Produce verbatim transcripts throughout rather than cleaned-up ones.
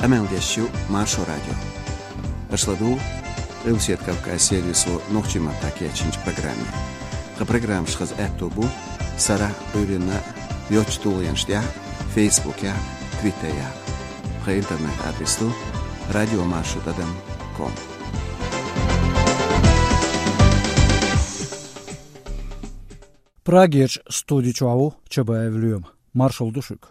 Къамел деш ю Маршо радио. Аша ладугӀу Къилбаседа Кавказ сервисо нохчийн маттахь кечйинчу программе. Тхан программаш хаза аьтто бу сарахь а, Ӏуьйранна а йоцачу тулгӀенаш тӀехь а, Фейсбукехь а, Твиттерехь а. Тхан интернет-адрес ду радиомаршо тӀадам ком. Прагерчу студи чохь ву Чабаев Лоьма. Маршалла ду шуьга.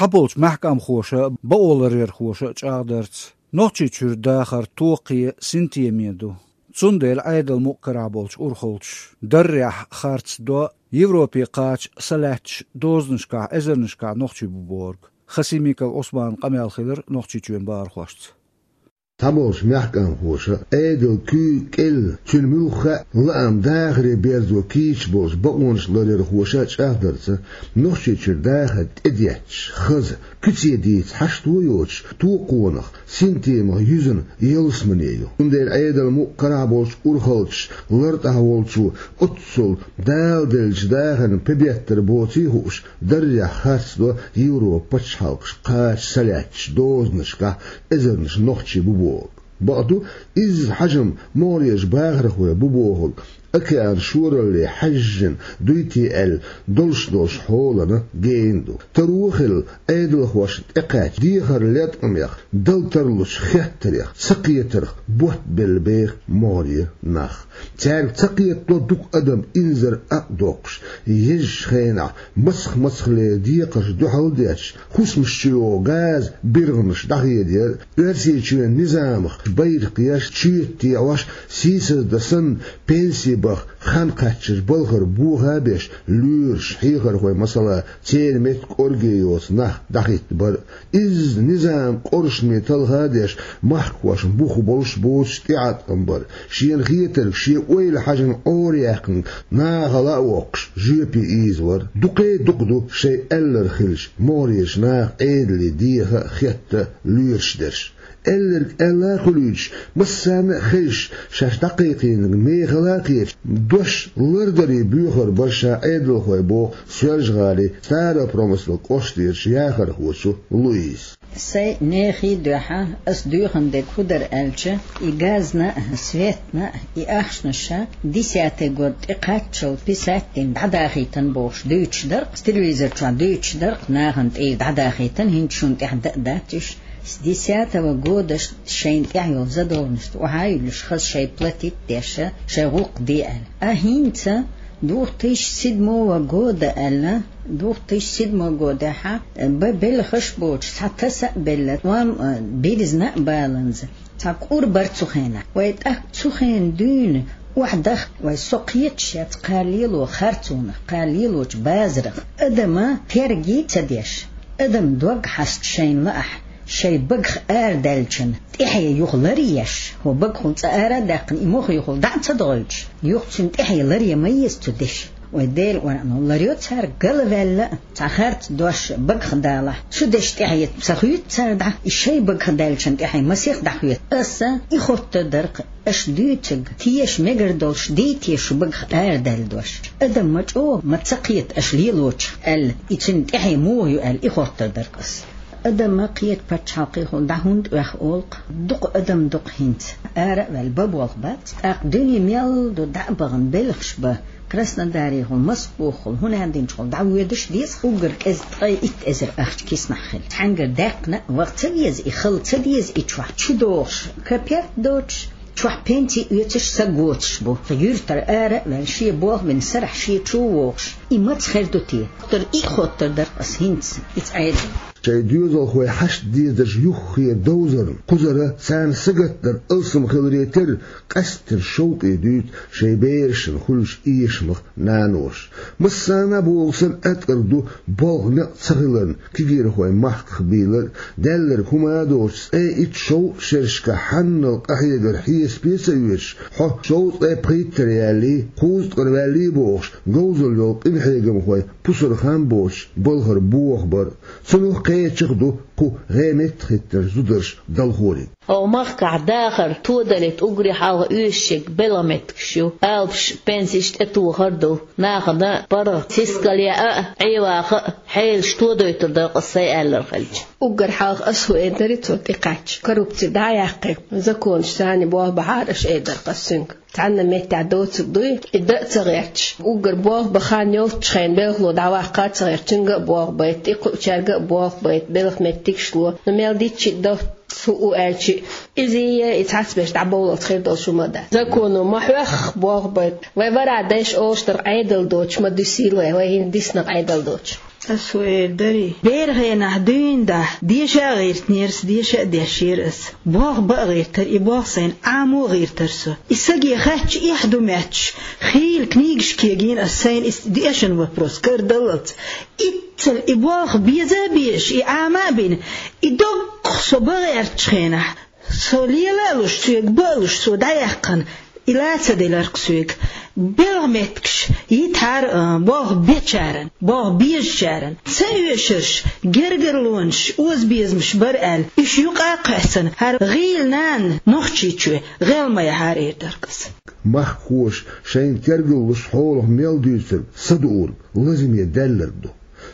Цхьаболчу маьхкамхоша а, бакъоларъярхоша а чӀагӀдарца, Нохчийчуьра дахар токхе, синтеме ду. Цундела Ӏедал мукъ карахь болчу урхаллаш даррехь харц до Европе кхача са лаьтташ дозанашкахь, эзарнашкахь нохчий бу бохург. Хасимиков Ӏусманан къамел хилира Нохчийчоьнан бахархошца. Цхьаболчу маьхкамхоша а, Ӏедалан куьйга кӀел, цуьнан муьлхха а лаам дахаре берзо кийча болчу бакъонаш ларъярхоша а чӀагӀдарца, Нохчийчуьра дахар тӀедетташ, хаза, куьце дийца хьашт а йоцуш, токхонах, синтемах юьзна ялсамане ю. Цундела Ӏедал мукъ карахь болчу урхаллаш лартӀехь волчо оццул Дала деллачу дахарна пе беттар боций хууш, даррехь харц до Европан пачхьалкхашка кхача са лаьтташ дозанашкахь эзарнаш нохчий бу бохург. Бакъду, изза хьажам могӀарерчу бахархойн бу бохург океан шоралле хьаьжжина дуй те аьлла, долуш долуш хьолана гена ду. Таро хилла, Ӏедалхошна тӀекхаьчча дехар леткъамех, дала тарлучу хеттарех, цакхетарх ботт белла беха могӀарера нах. Цаьрга ца кхетадо дукха адам инзаре а доккхуш, езачу хенахь мацах-мацахлера декхарш дуьхьал а детташ, хӀусамаш чу йогӀу газан биргӀанаш дӀахедар, Оьрсийчоьнан низамах байракх еш, чоьта тӀе Ӏаш, сийсаздан санна пенси баха хан кхаьчнарш балхара боха а беш, лоьраш, хьехархой, масала, церан меттиг кӀорге йоцу нах дӀахӀиттабар а. Изза низам къоршаме талха а деш, махкахошна бух болуш боцуш тӀеӀаткъам бар, шена хетарг, шен ойла хьаьжна Ӏораяьккхинарг нахала а воккхуш, жоьпе ийзавар. Дукха а дукха ду шайн аьлларг хилча, могӀарерчу наха Ӏедале деха а, хетта а лоьраш дерш. Аьлларг аьлла а хуьлуьйтуш, массарна а хезаш, шаьш дӀакхайкхийнарг мехала а кхеташ, дош лардаре боьхар бара ша Ӏедалхой, боху Соьлжа-ГӀалин Старопромыслан кӀоштарчу яхархочо Луизас. Сайн нехий дуьхьа ас доьхна дерг хӀун дара аьлча, и газна а, светна а, и ахчанаш а десятый год тӀекхаччалц писать дина дӀадахийтина бохуш дуьйцуш дара-кх, телевизор чохь дуьйцуш дара-кх, нахана тӀера дӀадахийтина, хӀинца шуна тӀехь дан а дац уьш. С десятого года шайна тӀехь йолу задолженность охьа а юьллуш, хаза шайн платить а деш, шайн гӀуллакх де аьлла. А хӀинца двух тысячи седьмого года аьлла, двух тысячи седьмого годехь а бан белхаш а боцуш, цхьа таса а белла, ном а, бирзина а баланза, цхьа кӀур бара цу хенахь. Вай тӀаккха цу хенахь дуьйна охьадахка вай, со кхеташ яц кхана лело харцонах, кхана лелочу базарах. Адама терге ца деш, адам дог хьаста шайна лаахь, шайн багах арадаьллачун тӀаьхье юха ларъеш, хӀокху багахула цкъа ара а даьккхина, и мохь юхула дӀа а ца догӀуьйтуш, юха цуьнан тӀаьхье ларъян ма еза цу деша. Вай Делан Къуръано ларъйо цаьрга, галваьлла а, цхьа харц дош багах далахь, цу дешан тӀаьхье ца хоьтту цара дӀа, и шайн багах даьллачун тӀаьхье масех дӀахоьтту. Аса и хоттур дара-кх, аша дуьйцург теша мегар долуш дий те шу багах арадаьлла дош? Адам ма чӀогӀа ма ца кхета аша лелочух аьлла, и цуьнан тӀаьхье муха ю аьлла, и хоттур дара-кх аса. Адам ма кхета пачхьалкхехула дӀа хӀунда оьху олу-кх? Дукха адам ду-кх хӀинца. Ара а ваьлла, бан болх бац. ТӀаккха дуьне мел ду дӀа а бахана, белхаш бан, Краснодарехула, Москвахула, хӀун аьлла динчухула дӀавоьдуш деза, уггар кӀезиг ткъе итт эзар ахча киснахь хилча. Цхьаьнгара даьккхина а ваха ца веза и, хала ца деза и чохь, чу догӀуш капет доцуш, чохь пенси оьцуш са гоцуш бу. Юьртара ара а ваьлла, шен болх бина сарахь шен чу а вогӀуш, и маца хир ду те? Хоттур, и хоттур дара-кх аса хӀинца, иза Ӏедал. Шайн доьзалхой хьашт дезарш юххера довзарна, кхузара царна сагатдар алсам хиларе терра, къаьсттина шовкъе дуьйцу шайн берашна хуьлуш эшамах наноша. Массарна а боху санна, аткъар ду болх некъ ца хиларна кегийрхой махках бийлар а, даьлларг хӀума а доцуш, цкъе итт-шовзткъа шерашкахь хьаннал къахьегар хьесапе а ца оьцуш, хьо шовзткъе пхийттара яьллий, кхузткъара ваьллий бохуш, говзалла йолу къинхьегамхой пусар хан боцуш балхара боха бар а. Цунах а Кхечах ду кху гӀеметтахӀиттарш зударш далхориг. Оха махкахь дахар тодалийта уггаре хьалха оьшуш ерг белхан меттигаш ю, алапаш, пенсеш тӀетохар ду. Нахана паргӀат сискал яа а, Ӏеваха а, хьелаш тодойтур дара-кх ас сайн аьллар хилча. Уггар хьалха ас хӀу эр дарий цо тӀекхаьчча, коррупци дӀа а яьккхи, законаш царна болх бахьара, аша эр дара-кх ас цуьнга. Цхьанна меттехь доцург дуй, и дан а ца гӀерташ, уггар болх бан хан йолччу хенна белхало дӀаваккха а ца гӀерташ, цуьнга а болх байта, и кхуучаьрга а болх байта, белхан меттигаш ло. Ну, мел дитча а до, хӀу у аьлча, иза и цхьацберш дӀабовлалц хир долуш хӀума дац. Законо ма хьоьхху болх байта. Вай вара дайша олуш дара Ӏедал доцуш ма дуьсийла вай, вай хӀинца диснарг Ӏедал доцуш. Ас хӀу эр дарий? Беран хенахь дуьйна дахь, деша а гӀиртинера ас, деша а дешера ас. Болх бан а гӀиртара, и болх сайна Ӏамо а гӀиртара со. И саге хаьттича эхь ду моьттуш, хийла книгаш кегийна ас сайна и дешан вопрос карадаллалц. Иццал и болх беза а безаш, и Ӏама а бина, и доггах со бан гӀертачу хенахь, со лела а луш, соьга бан а луш, со дӀаяьккхина, и ла ца делира-кх соьга. Белхан меттигаш йитахьара, а, болх бечарна, болх безачарна. Ца оьшурш, гергарлонаш, озабезамаш бара аьлла, уьш юкъа а кхоьссина, хӀара гӀийла нана Нохчийчоь гӀел ма яхьара, эр дара-кх ас. Махкахоша шайна тергаллуш хьолах мел дуьйцург садуург, лазаме даьлларг ду.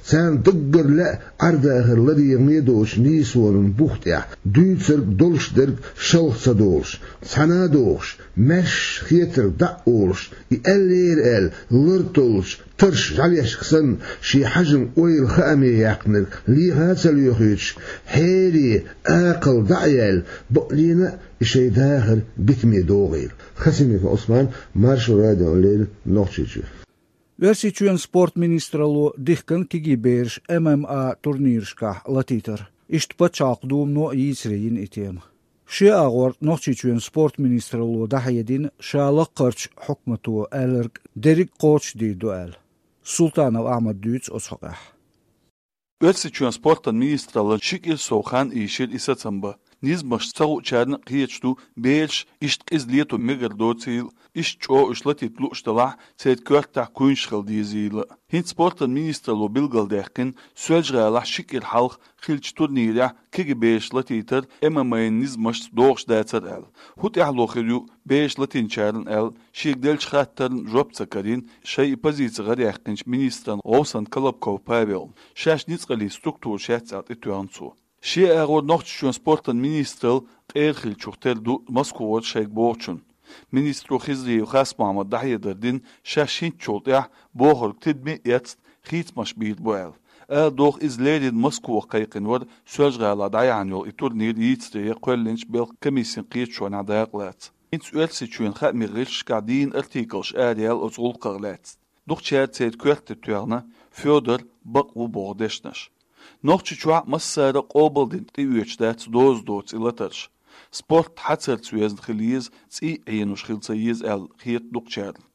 Царна даггара лаьа Ӏардахар ладегӀаме доцучу нийсонан бух тӀехь дуьйцург долуш дерг шалха ца долуш, цхьана а дохуш, маьрша хетарг дӀа а олуш, и аьллера аьлла, лар толлучу тарш жӀаьлешка санна, шен хьажам ойла хааме яьккхинарг леха а ца лоьхуьйтуш, хьере, акхалла дӀа а яьлла, бакъдина а и шайн дахар битаме догӀийла. Хасимиков Ӏусман, Маршо радиона леррина, Нохчийчоь. Оьрсийчоьнан спорт министралло дихкина кегий бераш М М А турнирашкахь латийтар. Иштта Пачхьалкхан Думано а йийцаре йина и тема. Шен агӀор Нохчийчоьнан спорт министралло дӀахьедина ша лаккхарчу хьукмато аьлларг дерриг а кхочушдийр ду аьлла. Султанов Ахьмада дуьйцу оцу хьокъехь. Оьрсийчоьнан спортан министралло ши кӀира сов хан ийшира и сацам бан. Низамашца ца хуучарна а кхеташ ду, бераш иштта къиза лето мегар доцийла, иштта чӀогӀа уьш латийта лууш делахь, церан коьртехь куьйнаш хила дезийла. ХӀинца спортан министралло билгалдаьккхина, Соьлжа-ГӀалахь ши кӀира хьалха хиллачу турнирехь кегий бераш латийтар М М А-н низамашца догӀуш дацар аьлла. ХӀун тӀаьхьало хир ю бераш латийначарна аьлла, шега деллачу хаттарна жоп ца карийна, шайн и позици гӀараяьккхинчу министран гӀовсан Колобков Павелна. Шаьш ницкъаллин структура шаьц аьлла тӀетоьхна цо. Шен агӀор Нохчийчоьнан спортан министралла къера хиллачух тера ду Москвара шайга бохучунна. Министро Хизриев Хасмохьмада дӀахьедар дина, шаьш хӀинцачул тӀаьхьа бохург тидаме а эцна, хийцамаш бийр бу аьлла. Ала догӀу, иза леррина Москвахь кхайкхина вара Соьлжа-ГӀалахь дӀаяьхьна йолу и турнир йийцаре кхоьллинчу белхан комиссин кхеташонехь дакъалаца. ХӀинца Оьрсийчоьнан хаамийн гӀирсашкахь дийна артиклаш араяьлла оцу гӀуллакхах лаьцна. Дукхачара церан коьрта тӀе тоьхна Федор бакъ ву боху дешнаш. Нохчийчохь а массара а къобалдина тӀеоьцуш дац доза доцу и латарш. Спорт хьацарца везна хила еза, цӀий а Ӏенуш хила ца еза аьлла хета дукхачарна.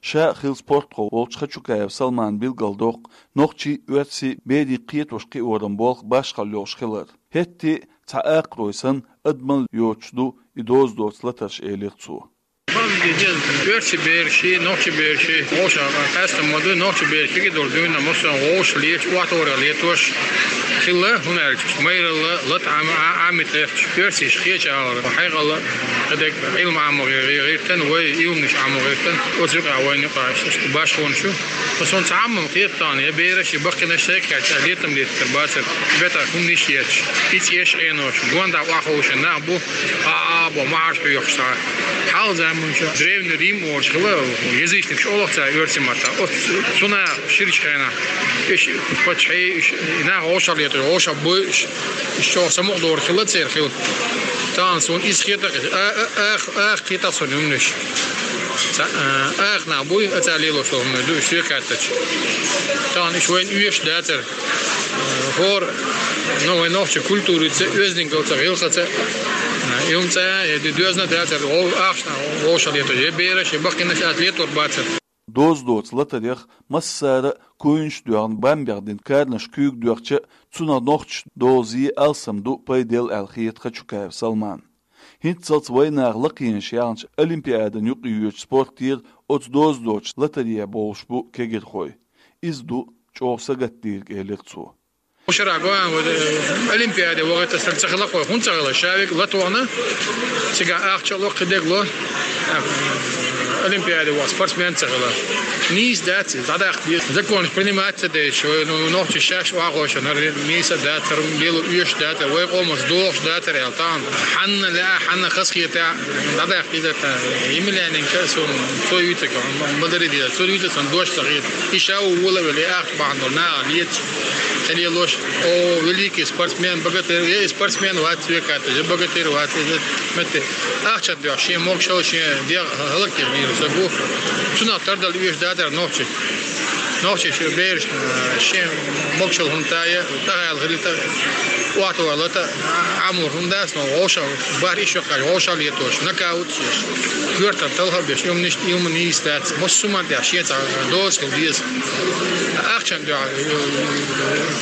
Ша а хилла спортхо волчу Хачукаев Салмана билгалдоккху, нохчий а, оьрсий а берийн кхетош-кхиоран болх башхалла йолуш хилар. ХӀетте а цхьа акхарой санна, адамалла йоцуш ду и доза доцу латарш, элира цо. Оьрсий бераш а, нохчий бераш а, вовшах къаьстина ма ду, нохчий бераш кегий долу дуьйна массо а вовшах леташ, охьатохарх летош хилла, хӀунда аьлча майралла, лата Ӏама, Ӏа-, Ӏамийта гӀерташ, оьрсийша кхечу агӀор хьекъал а, кхидерг Ӏилма Ӏамо гӀе-, гӀе-, гӀиртина, вай илланаш Ӏамо гӀиртина, оцу юкъахь вайна юкъахь иштта башхонаш ю. Аса цхьа Ӏамма хетта тхуна, я бераш а, я баккхийнаш сайга хаьттича, летам летар бацара, бетӀа хӀуманаш а етташ, и цӀеш а Ӏенош, гонаха охьаховшина нах бу, а, а, бо, махьарш хьоьхуш цхьа. Хьалха заманчохь Древний Рим олуш хилла, язычникаш олу цара оьрсийн маттахь. Оцу цу наха ширачу хенахь, уьш паччахьий, уьш и нах вовшах летар, вовшах буй, уьш, уьш чӀогӀа самукъадолур хилла церан хила. Тахана суна иза хета, а, а, ах, ах кхета суна хӀуманаш. Ца-, а, ах нах буй, а, цара лелош долу хӀуманаш ду, уьш соьга хаьттича. Тахана уьш вайна оьшуш дацара. ХӀора, ну, вайн нохчийн культурица, оьздангаллица, гӀиллакхца, а, и хӀума цӀа, я ди-, доьзна а дацара, вов-, ахчанах вовшах летар, я бераш, я баккхийнаш а летор бацара. Доза доцу латарех массара а куьйнаш а доьхна, бамбех дина каранаш куьйга доьхча а, цунах нохчашна доза е алсам ду, пайда елла аьлла хета Хачукаев Салмана. ХӀинццалц вайнаха лакхенаш яьлча, Олимпиадана юкъайоьдучу спортера оцу доза доцучу латарехь болуш бу кегийрхой. Иза ду чӀогӀа сагатдийриг, элира цо. Шера гоан, вот, э, Олимпиаде вахийтар ца хилла кхо, хӀунда ца хилла, шавиг латвана, цига ахча ло, кхидег ло, э, Олимпиаде ваха спортсмен ца хилла. Нийса дац, дӀадаккха деза. Законаш принимать ца деш, ну, нохчи шаш вахоша, нар нийса датар, белу уьш датар, вай къомас дохуш датар, ял, там, хьанна ле, хьанна хасхета, дӀадаккха деза, та, Емельяненко, сон, со юйтак, мадари деза, со юйтак, сон дош ца хет. И шау вола веле, ахча бахьан долу, наха лец. Хьалелош, о, великий спортсмен, богатырь, я и спортсмен вац, векат, я богатырь вац, я метте. Ахча дуьхьа, шен могушалла, шен дегӀ хӀаллакьхилира ца бу. Цунах тардал уьш дадара нохчи. Нохчи шу бераш, э, шен могушалла хӀунда тая, тахайл хилита, уатвалата, Ӏамур хӀунда ас, но вовша, бар иш ваккхаш, вовша летош, нокаут еш. Коьртан талха беш, юмниш, юман йийс дац. Мос суман тӀехь шен цхьа доза хила деза. Ахчан дуьхьа,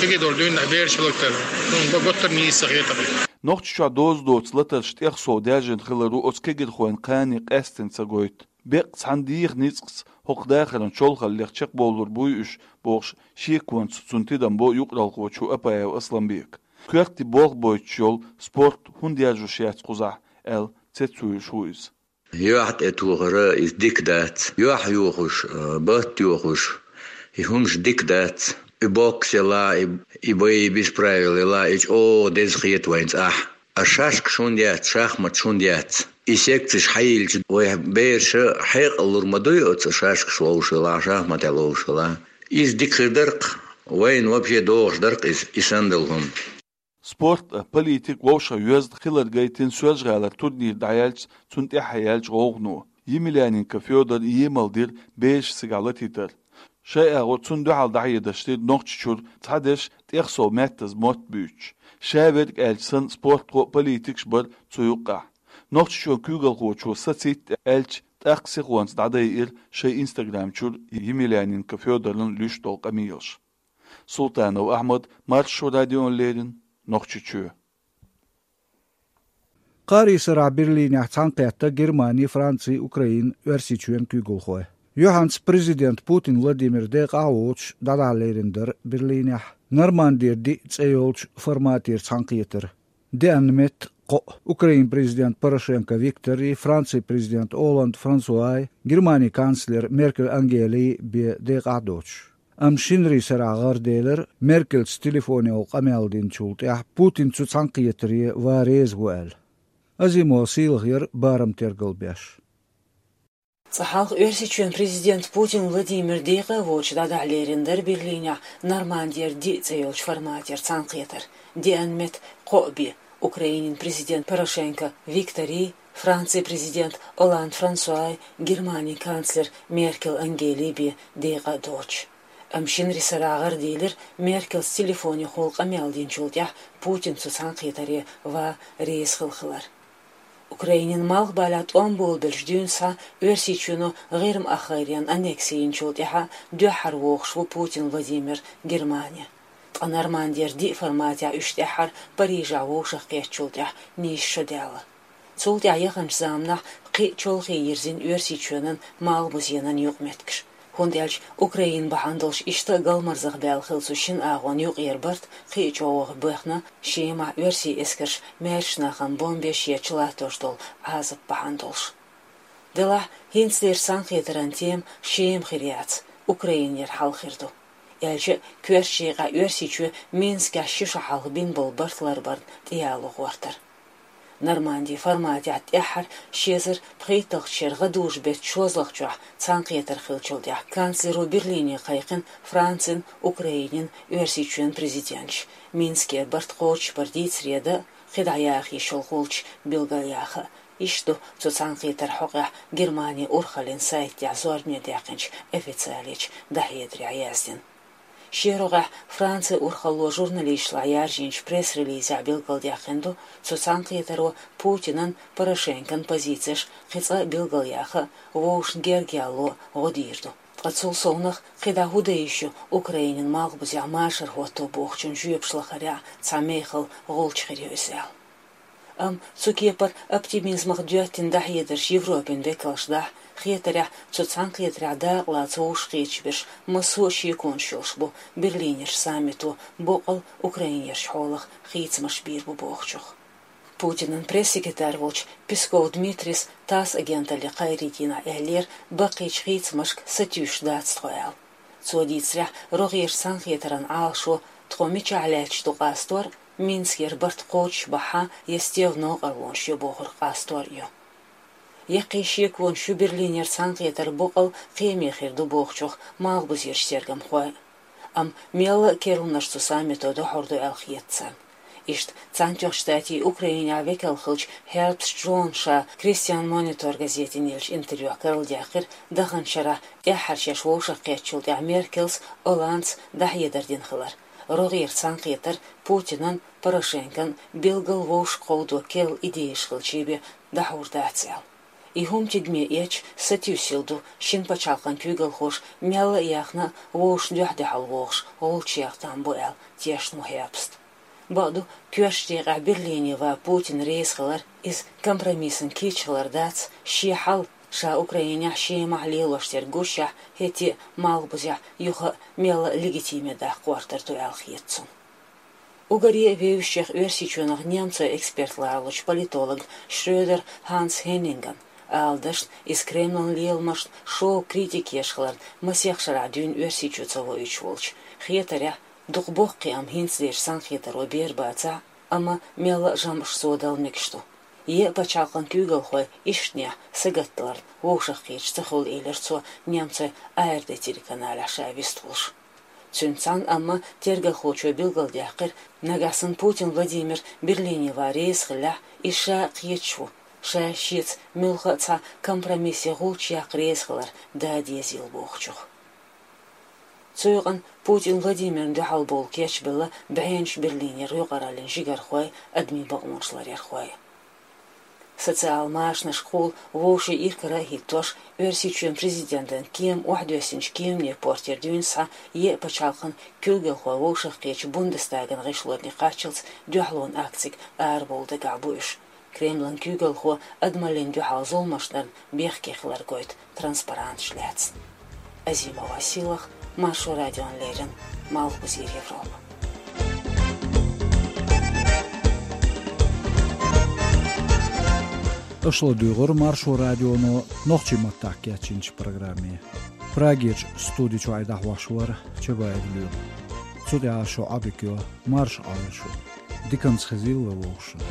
кегидор дуьйна бераш хиларгтара. Ну, ба-, готтар нийса хетар. Нохчийчохь доза доцу латарш тӀех сов даьржина хилар ву оцу кегирхойн кхане къаьстина ца гойту. Беккъа цхьана дийха ницкъаца хӀокху дахаран чолхаллех чекхбовлур буй уьш, бохуш, шеконца цунна тидам бо юкъаралхочо Апаев Асламбека. Коьртан болх бойтуш йолу спорт хӀунда яржош яц кхузахь аьлла, цецвуьйлуш ву иза. Юьхь тӀе тухар, иза дика дац. Юьхь йохуш, а, батт йохуш, и хӀумаш дика дац. И бокс ела, и, и бои без правил ела, и чӀогӀа деза хета вайна цӀахь. А шашкаш хӀунда яц, шахматаш хӀунда яц? И секцеш хьайиллича, вай бераша хьекъал лур ма дуй оцу шашкаш ловшалахь, шахматехь ловшалахь. Иза дика хир дара-кх, вайна вообще догӀуш дара-кх иза, и санна долу хӀума. Спорт а, политика вовшах йоьзна хилар гайтина Соьлжа-ГӀалара турнир дӀаяьлча, цунна тӀаьхьа яьлча гӀовгӀано. Емельяненко Федор емал дира бераш цигахь латийтар. Шайн агӀор цунна дуьхьал дӀахьедаш дира Нохчийчуьра цхьадерш тӀех сов меттаза мотт буьйцуш. Ша верг аьлча санна, спортхо а, политикаш а бара цу юккъехь. Нохчийчоьнан куьйгалхочо сацийта аьлча, тӀаккха сихонца дӀадайира шайн инстаграм чуьра Емельяненко Федоран луьйш долу къамелаш. Султанов Ахьмад, Маршо радиона леррина, Нохчийчоь. Кхаарин сарахь Берлинехь цхьаьнакхетта Германи, Франци, Украина, Оьрсийчоьнан куьйгалхой. Юьхьанца президент Путин Владимир декъахь а воцуш дӀадахьа лерина дара Берлинехь Нормандера диъ цӀе йолчу форматера цхьаьнакхетар. Деана метта кхоъ: Украин президент Порошенко Викторий, Франци президент Оланд Франсуай, Германи канцлер Меркель Ангелий бен декъахь а доцуш. Амма шинарин сарахь гӀарделира, Меркельца телефонехула къамел динчул тӀаьхьа Путин цу цхьаьнакхетаре ван реза ву аьлла. Азимова Сийлахьера барам тергал беш. Цкъа хьалха Оьрсийчоьнан президент Путин Владимир декъа а воцуш дӀадахьа лерина дара Берлинехь Нормандера диъ цӀе йолчу форматера цхьаьнакхетар. Деана метта кхоъ бен: Украинин президент Порошенко Викторий, Франци президент Оланд Франсуай, Германи канцлер Меркель Ангелий бен декъа а доцуш. Амма шинарин сарахь гӀарделира, Меркельца телефонехула къамел динчул тӀаьхьа Путин цу цхьаьнакхетаре ван реза хилла хилар. Украинин малхбалехь тӀом болабелча дуьйна схьа Оьрсийчоьно ГӀирма-Ахайрен аннекси йинчул тӀаьхьа дуьххьара вогӀуш ву Путин Владимир Германи. Ткъа Нормандера диъ форматехь уьш тӀаьххьара Парижехь вовшахкхеттачул тӀаьхьа нийса шо даьлла. Цул тӀаьхьа яханчу заманахь кхин а чолхе йирзина Оьрсийчоьнан Малхбузенан юкъаметтигаш. ХӀунда аьлча Украина бахьана долуш иштта а галмарзахбаьлла хилла цу шина агӀонна юкъара барт кхин а чӀогӀа бехна, Шемахь оьрсийн эскарша маьршачу нахана бомбеш етташ латтош долу Ӏазап бахьана долуш. Делахь, хӀинцалерчу цхьаьнакхетаран тема Шема хир яц, Украинера хьал хир ду. Аьлча а, коьртачу декъехь Оьрсийчоь Минскехь ши шо хьалха бина болу барт ларбарна тӀеяло гӀортар. Нормандин форматехь тӀаьххьара ши эзар пхийтталгӀачу шеран гӀадужу-беттан шозлагӀчохь цхьаьнакхетар хиллачул тӀаьхьа канцлеро Берлине кхайкхина Францин, Украинин, Оьрсийчоьнан президенташ, Минскера барт кхочушбар дийцаре дан а, кхидӀа яха йиш йолу гӀулч билгалъяха а. Иштта ду цу цхьаьнакхетаран хьокъехь Германин урхаллин сайта тӀехь зорбане даьккхинчу официалечу дӀахьедарехь яздина. Шен рогӀехь Францин урхалло журналисташлахь яржийначу пресс-релизехь билгалдаьккхина ду, цу цхьаьнакхетаро Путинан, Порошенкон позицеш кхин цкъа а билгалъяха а, вовшашна герга яло а гӀо дийр ду. Ткъа цул совнах кхидӀа хӀун дан йиш ю Украинин малхбузехь машар хӀотто бохучун жоьпаш лахарехь цхьа мехала гӀулч хир ю иза аьлла. Амма цу кепара оптимизмах доьттина дӀахьедарш Европин векалш дахь, хетарехь, цу цхьаьнакхетарехь дакъалаца вовшахкхеташ берш массо а шеконаш йолуш бу Берлинерчу саммито боккъал украинерчу хьолах хийцамаш бийр бу бохучух. Путинан пресс-секретарь волчу Песков Дмитрис ТАСС агенталле кхайрийна аьллера, баккхийчу хийцамашка сатуьйсуш дац тхо аьлла. Цо дийцарехь, рогӀерчу цхьаьнакхетаран Ӏалашо тхо мичахь лаьтташ ду къастор, Минскера барт кхочушбахьа я стеган новкъарлонаш ю бохург къастор ю. Яккхий шеконаш ю Берлинерчу цхьаьнакхетар боккъал кхиаме хир ду бохучух малхбузерчу тергамхой. Амма мелла а керланаш цу саммито дохьур ду аьлла хета царна. Иштта Цхьаьнатоьхначу Штатийн Украинехь векал хиллачу Хербст Джона ша Christian Monitor газетана еллачу интервьюхь карладаьккхира даханчу шарахь тӀаьххьара шаьш вовшахкхеттачул тӀаьхьа Меркелс, Олландс дӀахьедар дина хилар. РогӀера цхьаьнакхетар Путинан, Порошенкон билггал вовшахкховдо керла идеяш хилча бен дӀахьур дац аьлла. И хӀума тидаме эцча, сатуьйсийла ду шина пачхьалкхан куьйгалхоша мелла а яхна а вовшашна дуьхьал вогӀуш гӀулчаш яккха там бу аьлла тешна ву Хербст. Бакъду, коьртачу декъехь Берлине ван Путин реза хилар, иза компромиссан кийча хилар дац, шен хьал, ша Украинехь, Шемахь лелош дерг гушшехь, хӀетте а малхбузехь юха а мелла а легитиме даккха гӀортар ду аьлла хета цунна. Уггаре а вевзачех Оьрсийчоьнах немцойн эксперт ларалучу политолог Шрёдер Ханс Хеннинган, ала дашна, иза Кремлан леламашна шоу, критика еш хиларна масех шарахь дуьйна Оьрсийчу ца воуьйтуш волчу, хетарехь, дукха боккхий, амма хӀинца дерш цхьаьнакхетаро бер бацахь а, амма мелла а жамӀаш цо дала мегаш ду. Е а пачхьалкхан куьйгалхой ишттанехь сагатдаларна вовшахкхеташ ца хуьлу, элира цо немцойн А Р Д телеканалехь ша вистхуьлуш. Цуьнца цхьаьна амма тергахлочо билгалдаьккхира, нагахь санна Путин Владимир Берлине ван реза хиллехь, иза ша а кхеташ ву, ша шеца муьлхха а цхьа компромисс я гӀулч яккха реза хилар да дезийла бохучух. Цу юкъана Путин Владимирна дуьхьал бовла кечбелла бӀеннаш Берлинера юкъараллин жигархой, адамийн бакъонаш ларъярхой. Социал машанашкахула вовшийн иракара а хӀиттош, Оьрсийчоьнан президентан кема охьадоьссинчу кеманийн портера дуьйна схьа е а пачхьалкхан куьйгалхой вовшахкхетачу Бундестаган гӀишлонна кхаччалц дуьхьалонан акцига арабовла дагахь бу уьш, Кремлан куьйгалхо адамаллина дуьхьал зуламаш дарна бехке хилар гойту транспаранташ лаьцна. Азимова Силах, Маршо радиона леррина, Малхбузера Европа. Аша ладуьйгӀура Маршо радионо нохчийн маттахь кечйинчу программе. Прагерчу студи чуьра дӀахьош вара Чабаев Лоьма. Цу тӀехь шун Ӏодика йо, марша Ӏойла шу. Диканца хезийла вовшашна.